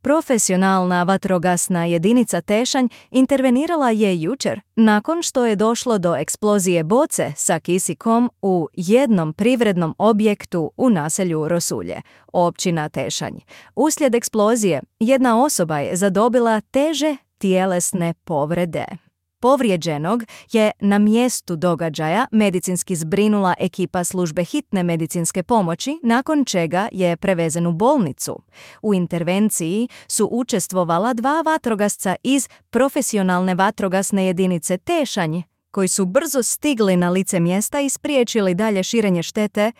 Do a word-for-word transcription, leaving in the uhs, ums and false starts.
Profesionalna vatrogasna jedinica Tešanj intervenirala je jučer nakon što je došlo do eksplozije boce sa kisikom u jednom privrednom objektu u naselju Rosulje, općina Tešanj. Uslijed eksplozije jedna osoba je zadobila teže tjelesne povrede. Povrijeđenog je na mjestu događaja medicinski zbrinula ekipa službe hitne medicinske pomoći, nakon čega je prevezen u bolnicu. U intervenciji su učestvovala dva vatrogasca iz profesionalne vatrogasne jedinice Tešanj, koji su brzo stigli na lice mjesta i spriječili dalje širenje štete